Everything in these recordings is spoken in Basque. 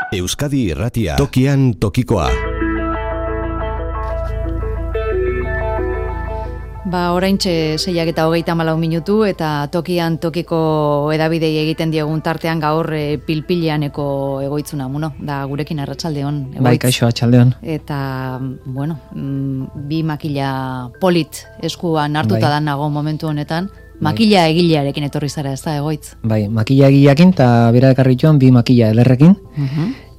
Euskadi Irratia, tokian tokikoa. Oraintxe 6:34 minutu eta tokian tokiko edabidei egiten diegun tartean gaur pilpileaneko egoitzuna muno, da gurekin arratsaldeon egoitz. Bai, kaixo arratsaldeon. Eta, bi makila polit eskuan hartuta da nago momentu honetan. Makila egilearekin etorri zara, ez da, egoitz? Bai, makila egileakin eta bera ekarri joan bi makila elerrekin.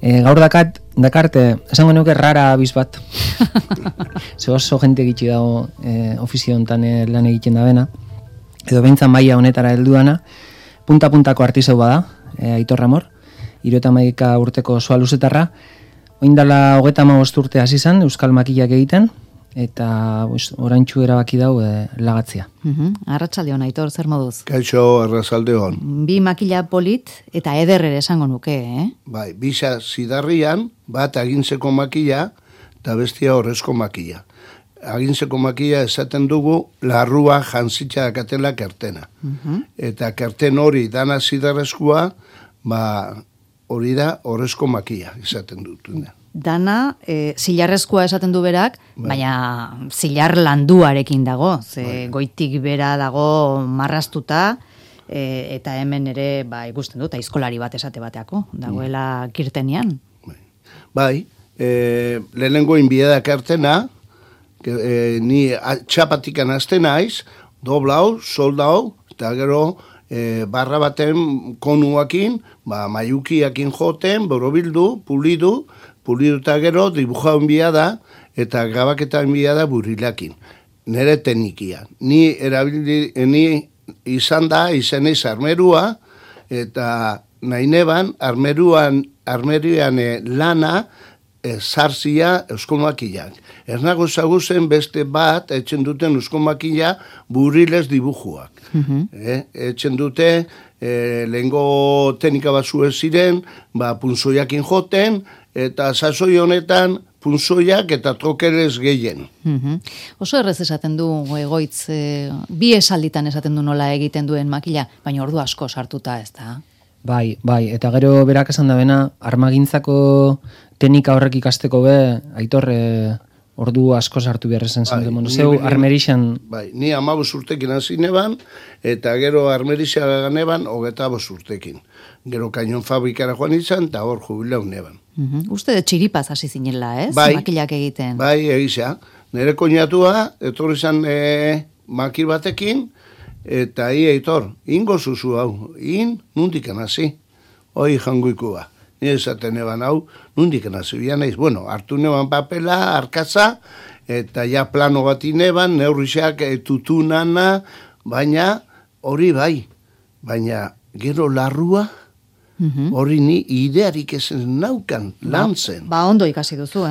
Gaur dakarte, esango nuke rara abiz bat. Ze oso jente gitxi dago ofizio honetan lan egiten da bena. Edo behintzan maila honetara helduana. Punta-puntako artizau bada, Aitor Ramor. 71 urteko soa luzetarra. Oindala 35 urte hasi zen euskal makilak egiten. Eta oraintxu erabaki dau lagatzia. Arratsaldeon, Aitor, zer moduz? Kaixo, arratsaldeon. Bi makila polit eta eder ere esango nuke, Bai, bisa zidarrian, bat agintzeko makila eta bestia horrezko makila. Agintzeko makila esaten dugu larrua jantzitza dakatela kertena. Eta kerten hori dana zidarrezkoa, hori da horrezko makila esaten dutuna. Dana, zilarrezkoa esaten du berak, baina zilar landuarekin dago, ze goitik bera dago marrastuta, eta hemen ere, ikusten dut, aizkolari bat esate bateako, dagoela kirtenian. Bai, lehenengo inbieda kartena, ni txapatikan azten naiz, doblau, soldau, eta gero barra baten konuakin, maiukiakin joten, borobildu, puliduta gero, dibuja enbiada, eta grabaketa enbiada burilakin. Nere teknikia. Ni izan eiz armerua, eta nahi neban, armerian lana, zarzia eusko makiak. Ez nago zaguzen beste bat, etxen duten eusko makia buriles dibujuak. Etxen dute, lehengo teknika bat zuen ziren, punzoiakin joten, eta sasoi honetan punzoiak eta trokeres gehien. Oso errez esaten du egoitz, bi esalditan esaten du nola egiten duen makila, baina ordu asko sartuta, ez da? Bai, eta gero berak esan da bena, armagintzako teknika horrek ikasteko Aitor, ordu asko sartu behar esan zen. Zeu armerixan... Bai, ni 15 urtekin hasi neban, eta gero armerixan neban 25 urtekin. Gero kainon fabrikara joan izan, eta hor jubilau neban. Uste de txiripaz hasi zinela, ez? Bai, makilak egiten. Bai, egisa. Nere koñatua, etorri zan makil batekin, eta Aitor, ingo zuzu hau, nundiken hasi. Hoi jangoikua. Ni esaten eban hau, nundiken hasi. Naiz, hartu neban papela, arkatza, eta ja plano bat ineban, neurriak tutunana, baina hori bai. Baina gero larrua, hori ni idearik ezen naukan, lan zen. Ondo ikasi duzu,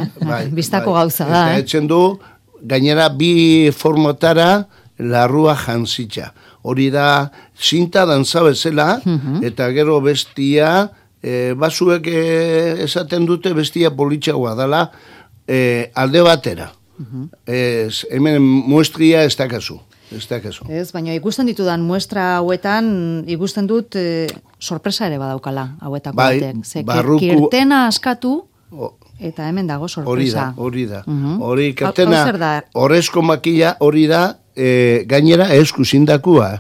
Bistako gauza da, Eta etxen du, gainera bi formatara larrua jantzitza. Hori da, zinta dantza bezala, eta gero bestia, basuek esaten dute bestia politxagoa dela, alde batera. Hemen muestria ez dakazu. Ez, baina ikusten ditudan muestra hauetan, ikusten dut sorpresa ere badaukala hauetako batek. Kirtena askatu, eta hemen dago sorpresa. Hori da. Hori kirtena, horrezko makila hori da, gainera esku zindakua.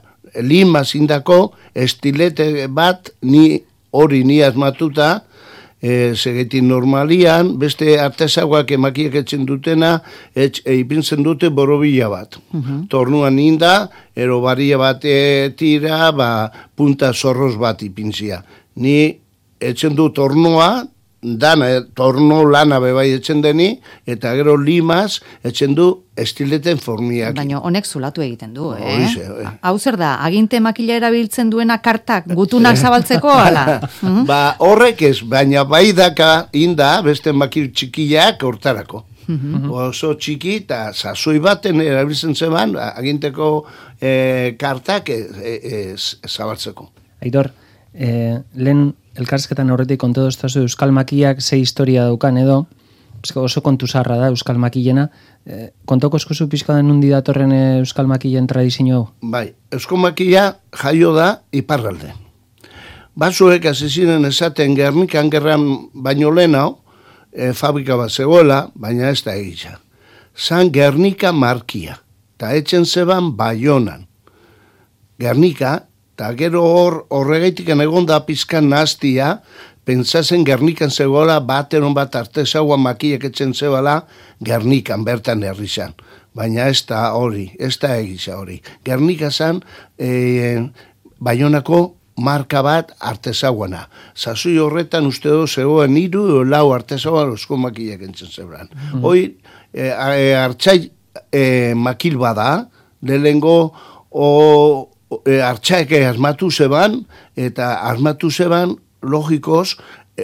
Lima zindako, estilete bat, hori ni asmatuta, segetin normalian, beste artesagoak emakiak etxen dutena, ipintzen dute borobila bat. Tornuan inda, ero baria bat tira, punta zorroz bat ipintzia. Ni etxen du tornoa, dana, torno lana bebai etxen deni, eta gero limaz etxen du estileten formiak. Baina honek zulatu egiten du, Hau zer da, aginte makila erabiltzen duena kartak, gutunak zabaltzeko, ala? Horrek ez, baina bai daka inda, beste makil txikiak hortarako. Oso txiki eta sasoi baten erabiltzen zeban, aginteko kartak zabaltzeko. Aitor, lehen elkarrizketan horretik kontu doztazu euskal makiak ze historia daukan edo, oso kontu zarra da euskal makilena, kontoko eskuzu pixka den nundi datorren euskal makilen tradizio hau? Bai, euskal makila jaio da iparralde. Batzuek hasi ziren esaten Gernikan gerran baino lehenau, fabrika bat zegoela, baina ez da egitza. Zan Gernika markia, eta etxen zeban Baionan. Gernika, eta gero horregaitik egon da pizkan nahaztia, pentsatzen Gernikan zegoela bateron bat artesaua makiak etxen zebala Gernikan bertan herrizan. Baina ez da hori, ez da egitza hori. Gernika zan Baionako marka bat artesauana. Zazui horretan uste du zegoen 3 lau artesauan osko makiak entzen zebran. Hoi, hartxai makil bada, lehengo hartxaik asmatu zeban, eta asmatu zeban logikoz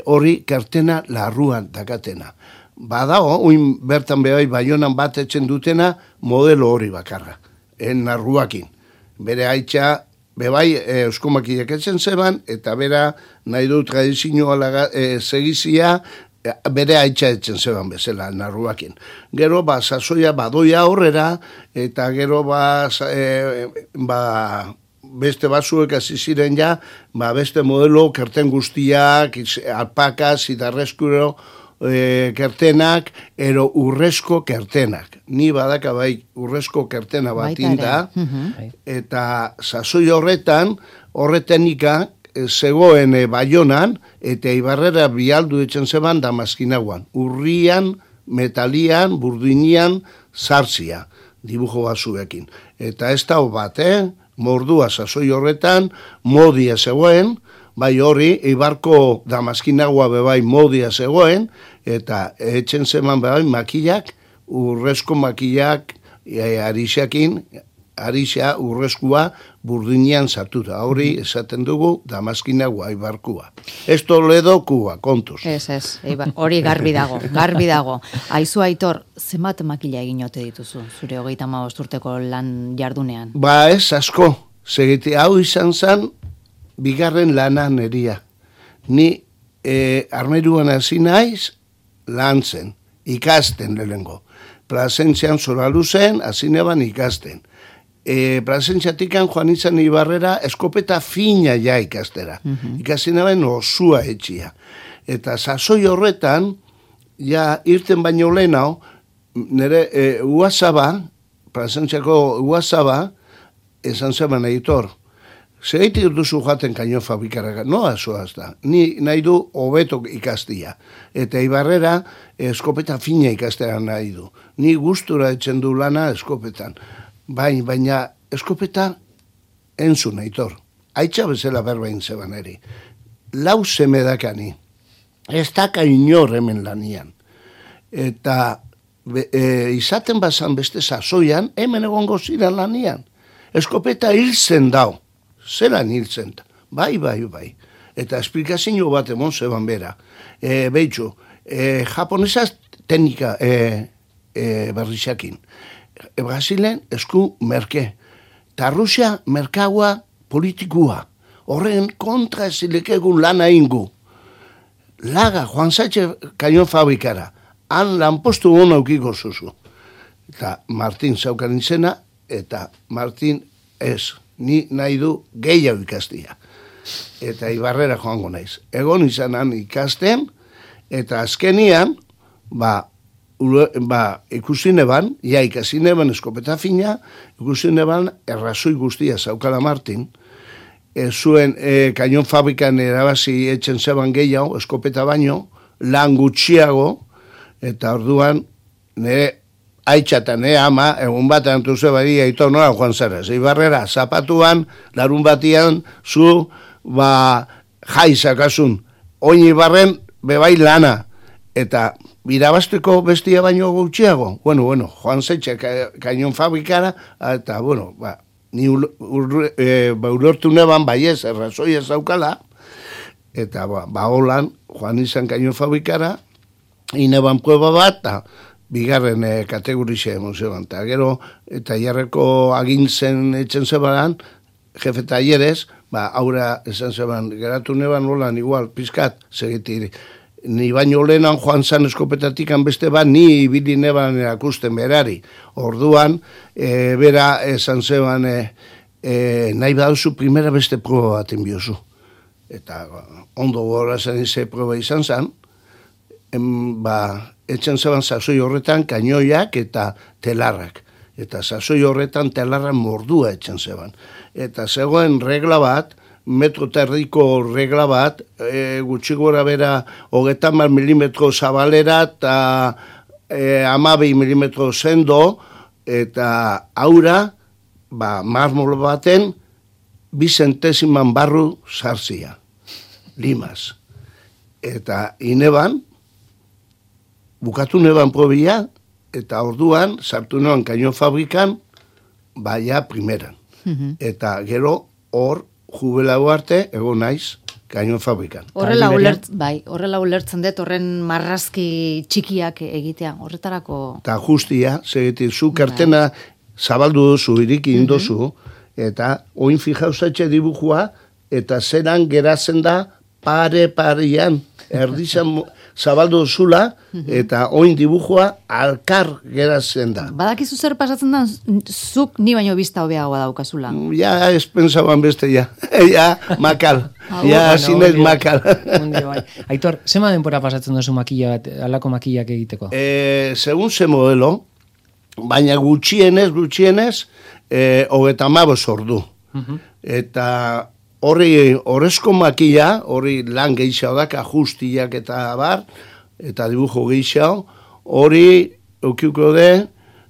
hori kertena larruan dakatena. Badago, oin bertan bebai Baionan bat etxen dutena modelo hori bakarra, narruakin. Bere haitxa, bebai euskomakiak etzen zeban, eta bera nahi du tradizioa segizia, bere haitxa etzen zeban bezala, narruakin. Gero, sasoia badoia horrera, eta gero, beste batzuek hasi ziren ja, beste modelo kerten guztiak, alpakaz, idarrezkuro, kertenak, ero urrezko kertenak. Ni badaka bai urrezko kertena bat inda, eta sasoi horretenika zegoen Baionan, eta Ibarrera bialdu etxen zeban Damaskinaguan. Urrian, metalian, burdinian, zarzia, dibujo batzuekin. Eta ez da bat, mordua sasoi horretan, modia zegoen, bai hori, Ibarko Damaskinagoa bebai modia zegoen, eta etxen zeman bebai makillak, urrezko makillak, arixia urrezkoa burdinian sartuta. Hori esaten dugu Damaskinagoa, Ibarkua. Ez Toledo Kuba, kontuz. Ez, hori garbi dago. Aizu Aitor, zenbat makilla egin ote dituzu, zure 35 urteko lan jardunean? Ez asko, segiti hau izan zen, bigarren lana neria. Ni armeruan hasi naiz lan zen, ikasten lehengo. Plazentzian zora luzen, hasi neban ikasten. Plazentziatikan joan izan Ibarrera eskopeta fina ja ikastera. Ikasi neban osua etxia. Eta sasoi horretan, ja irten baino lehenau, nire uazaba, plazentziako uazaba, esan zeban Aitor, segeitik duzu joaten kaino fabrikara, no azoaz da. Ni nahi du hobeto ikastia. Eta Ibarrera eskopeta fina ikastera nahi du. Ni gustura etxen du lana eskopetan. Baina eskopeta entzun, Aitor. Aitza bezala berbain zeban eri. 4 seme dakani. Ez daka inor hemen lanian. Eta izaten bazan beste sasoian, hemen egongo ziren lanian. Eskopeta hiltzen dau. Zelan hiltzen da. Bai. Eta esplikazio bat emon zeban bera. Beitzu, japonesaz teknika berrizakin. Brasilen esku merke. Ta Rusia merkaua politikua. Horren kontra zilekegun lana ingu. Laga, Juan Sánchez kaion fabrikara. Han lanpostu hona aukiko zuzu. Eta Martin zaukan izena, eta Martin ez. Ni nahi du gehiago ikastia. Eta Ibarrera joango naiz. Egon izanan ikasten, eta azkenian, ikusi neban, ikasi neban eskopeta fina, ikusi neban errazoi guztia zaukala Martin, zuen kaion fabrikan erabazi etxen zeban gehiago, eskopeta baino, lan gutxiago, eta orduan, nire haitxatan, ama, egun bat antu zebari, Aitor nora joan zara. Ibarrera, zapatuan, larun batian, zu, jaizakasun. Oin Ibarren, bebai lana. Eta, birabasteko bestia baino gutxiago. Bueno, Juan Sánchez kainon fabrikara, eta, ni urortu neban, baiez, errazoi ez daukala, eta, holan, Juan izan kainon fabrikara, ineban prueba bat, eta, bigarren kategorize emozioan. Eta gero, eta jarreko agintzen etxen zebaran, jefe talleres, aurra esan zeban, geratu neban holan igual, pizkat, segitiri. Ni baino lehenan joan zan eskopetatikan beste bat, ni ibili neban erakusten berari. Orduan, bera esan zeban, nahi badauzu primera beste proba bat enbiozu. eta ondo gorazen ze proba izan zen, etxen zeban sasoi horretan kainoiak eta telarrak. Eta sasoi horretan telarra mordua etxen zeban. Eta zegoen regla bat, metro terdiko regla bat, gutxi gora bera 30 milimetro zabalera eta 12 milimetro sendo, eta aura, marmol baten, 2 zentesiman barru zarzia, limaz. Eta ineban, bukatu neban probia, eta orduan, sartu neban kaino fabrikan, baia primeran. Eta gero, hor, jubelago arte, egon naiz, kaino fabrikan. Horrela ulertzen dut, horren marrazki txikiak egitea, horretarako... Eta justia, segetik, zu kartena zabaldu duzu, iriki indozu, eta oin fijauzatxe dibujua, eta zeran geratzen da pare-parean, erdizan zabaldu duzula, eta oin dibujua alkar geratzen da. Badakizu zer pasatzen da, zuk ni baino bizta hobeagoa daukazula. Ja, ez pensaban beste, ja. Ja, makal. Ja, zinez makal. Aitor, zema denpora pasatzen duzu makilla bat, alako makillak egiteko? Segun ze modelo, baina gutxienez, 35 ordu. Eta horri horrezko makilla, horri lan gehiago dak, ajustiak eta bar, eta dibujo gehiago, hori eukiuko de,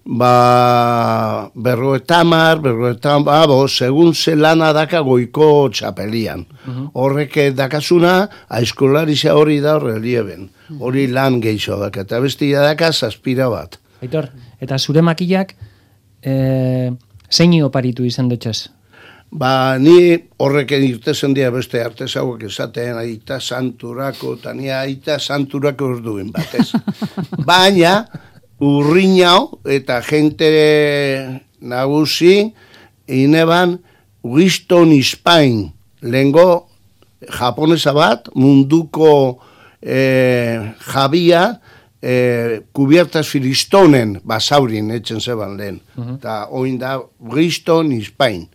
50, segun ze lana daka goiko txapelian. Horrek dakazuna, aizkolaritza hori da relieben. Hori lan gehiago dak, eta bestia daka zazpira bat. Aitor, eta zure makillak zein oparitu izan dutxez? Ni horreken irtezen dira beste artesauak esaten, aita santurako, eta ni aita santurako orduin batez. Baina, urrinau eta jente nagusi, ineban, Winston Spain, lehengo japonesa bat, munduko jabia, kubiertas filistonen basaurin etxen zeban lehen. Eta oin da Winston Spain.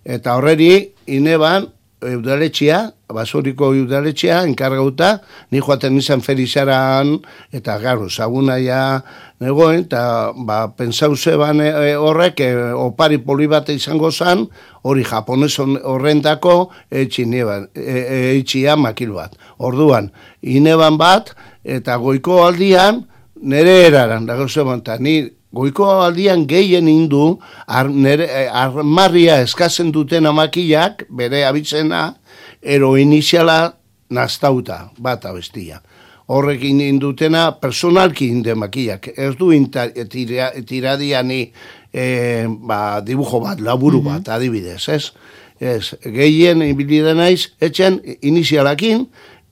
Eta horreri, ineban, udaletxea, basoriko udaletxea, enkargauta, ni joaten izan ferizaran, eta garo, zagunaia negoen, eta pensau zeban horrek, opari poli bat izango zan, hori japonez horrendako, etxia makil bat. Orduan, ineban bat, eta goiko aldian, nere eraran, dago zeban, eta ni, goiko aldian gehien indu, armarria eskatzen duten amakillak, bere abitzena, ero iniziala naztauta, bat abestia. Horrekin indutena, personalki inde makillak. Ez du tiradiani dibujo bat, laburu bat, adibidez, ez? Gehien inbilide naiz, etxen inizialakin,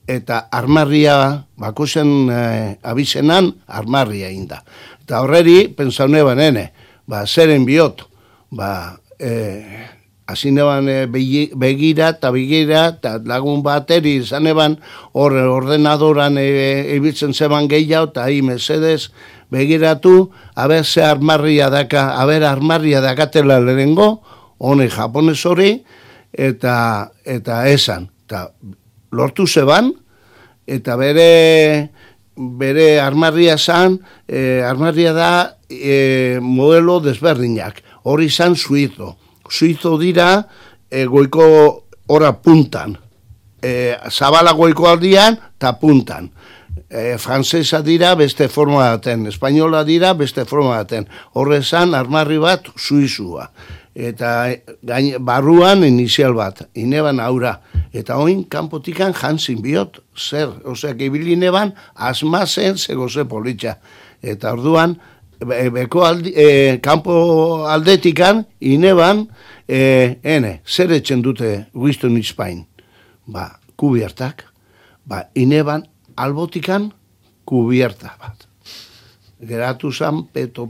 eta armarria, bakozen abizenan, armarria inda. Eta horreri, pensau neban, zeren biot, hasi neban begira eta lagun bateri izan eban, ordenadoran ibiltzen zeban gehiago, eta hi mesedez begiratu, haber ze armarria daka, armarria dakatela lehenengo, hone japonez hori, eta esan, eta lortu zeban, eta bere armarria zan, armarria da modelo desberdinak. Hori zan suizo. Suizo dira goiko ora puntan. Zabala goiko aldian eta puntan. Frantzesa dira beste forma daten. Espainola dira beste forma daten. Horre zan armarri bat suizua. Eta barruan inizial bat, ineban aura. Eta oin, kanpotikan jantzin biot, zer. Oseak, ibili neban, asmazen zegoze politxa. Eta orduan, kanpo aldetikan, ineban, zer etxen dute Winston Spain? Kubiertak. Ineban, albotikan, kubierta bat. Geratu zan, peto.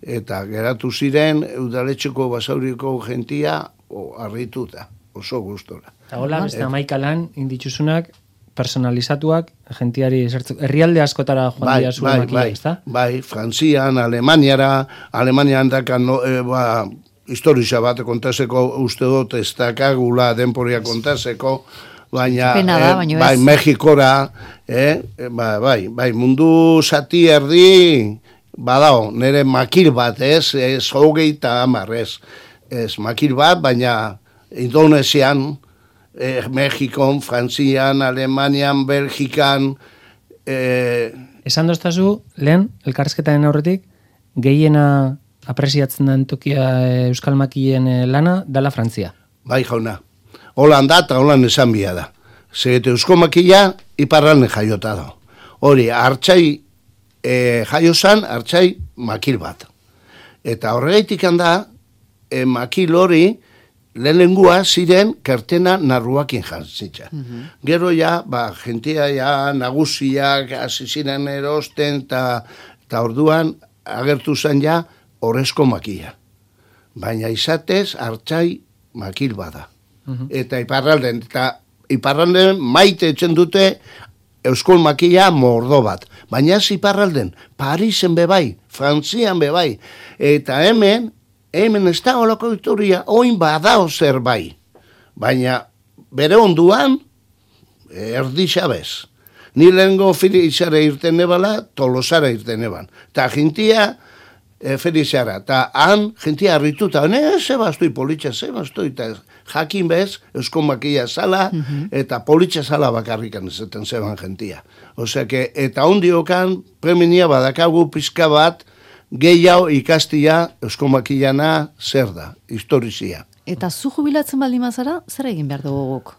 Eta geratu ziren udaletxeko basauriko gentia arrituta, oso gustora. Eta hola, beste amaikalan inditzuzunak, personalizatuak, gentiari herrialde askotara joan dira zuen makia, ezta? Frantzian, Alemanian dakan historia bat kontaseko uste dut ez dakagula denporia kontaseko, baina bai, Mexikora, bai, mundu zati erdi, badao, nire makil bat, ez 30 ez makil bat, baina Indonesian, Mexikon, Frantzian, Alemanian, Belgikan, esan doztazu, lehen, elkarrezketaren aurretik, gehiena apresiatzen den tokia euskal makilen lana, dala Frantzia. Bai, jauna. Holan da, eta holan esan bia da. Zegete eusko makila, iparralne jaiota da. Hori, hartxai jaiozan, hartxai makil bat. Eta horregaitik handa, makil hori, lehenengua ziren kertena narruakin jantzitza. Gero ja, jentia ja, nagusiak, aziziren erosten, eta orduan agertu zen ja, horrezko makila. Baina izatez, hartxai makil bada. Eta iparralden maite etxen dute euskol makila mordo bat. Baina ez iparralden, Parisen bebai, Frantzian bebai. Eta hemen ez da holako historia, oin badao zer bai. Baina bere onduan, erdi xabez. Ni lehengo Felixara irten nebala, Tolosara irten neban. Ta jentia Felixara. Ta han jentia harrituta, zebaztoi politxa, zebaztoi, eta jakin bez, eusko makia zala, eta politxa zala bakarrikan ezaten zeban jentia. Osea, eta ondiokan, preminia badakagu pizka bat, gehiago ikastia eusko makilana zer da, historizia. Eta zu jubilatzen baldin mazara, zer egin behar dugu guk?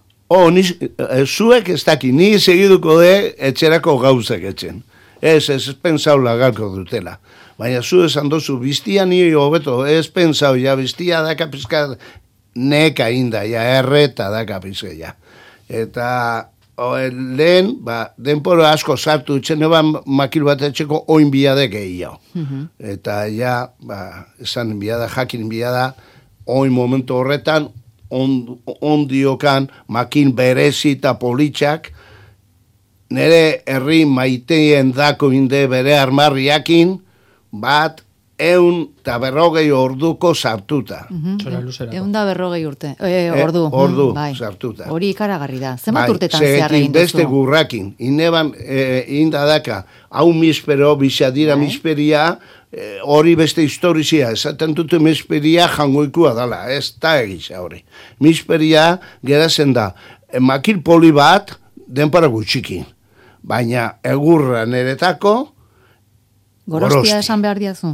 Zuek ez daki, ni segiduko de etxerako gauzak etxen. Ez pensau lagalko dutela. Baina zu esan dozu, biztia ni hobeto, ez pensau, ja, biztia daka pizka neka inda, ja, erreta daka pizka, ja. Eta lehen, denporo asko sartu itxen eban makil bat etxeko oin biade gehiago. Eta ja, esan biada, jakin biada, oin momentu horretan, ondiokan makil berezi eta politxak, nire herri maiteien dako inde bere armarriakin, bat 150 orduko sartuta. 150 ordu sartuta. Hori ikaragarri da. Zenbat urtetan zehar egin duzu? Beste gurrakin. Ineban indadaka, hau mispero, bizadira misperia, hori beste historizia. Esaten dute misperia jangoikua dala. Ez da egisa hori. Misperia gerazen da. Makil poli bat, denpara gutxikin. Baina egurra neretako, Gorostia esan behar diazu.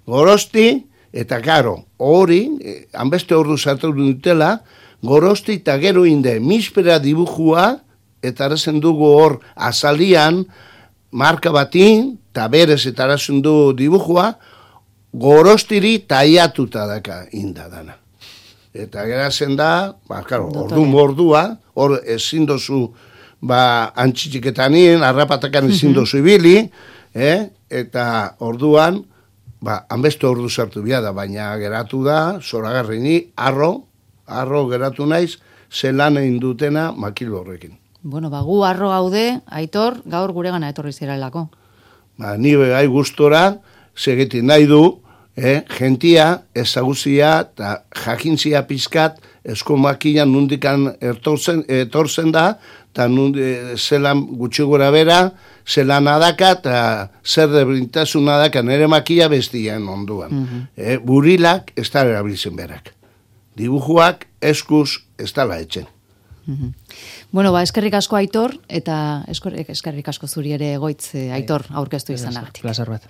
Gorosti, eta karo, hori, hanbeste ordu sartu dutela, gorosti eta gero inde, mispera dibujua, eta arazen dugu hor azalian, marka batin, eta berez eta arazen du dibujua, gorostiri taiatuta daka indadana. Eta gerazen da, karo, ordua, hor ezin dozu, antxitxiketanien, arrapatakan ezin dozu ibili, eta orduan, hanbeste ordu sartu biada, baina geratu da, zoragarrini, arro geratu naiz, zelan egin dutena makil horrekin. Bueno, gu arro gaude, Aitor, gaur gure gana etorri zirelako. Ni begai gustora, segeti nahi du, jentia, ezaguzia, eta jakintzia pizkat, esko makilan nundikan etortzen da, eta zelan gutxi gora bera, zelan adaka, eta zer debrintasun adaka nire makila bestian onduan. Burilak ez da erabiltzen berak. Dibujuak eskuz ez dala etxen. Bueno, eskerrik asko Aitor, eta eskerrik asko zuri ere Goitz Aitor aurkeztu izanagatik. Plazer bat.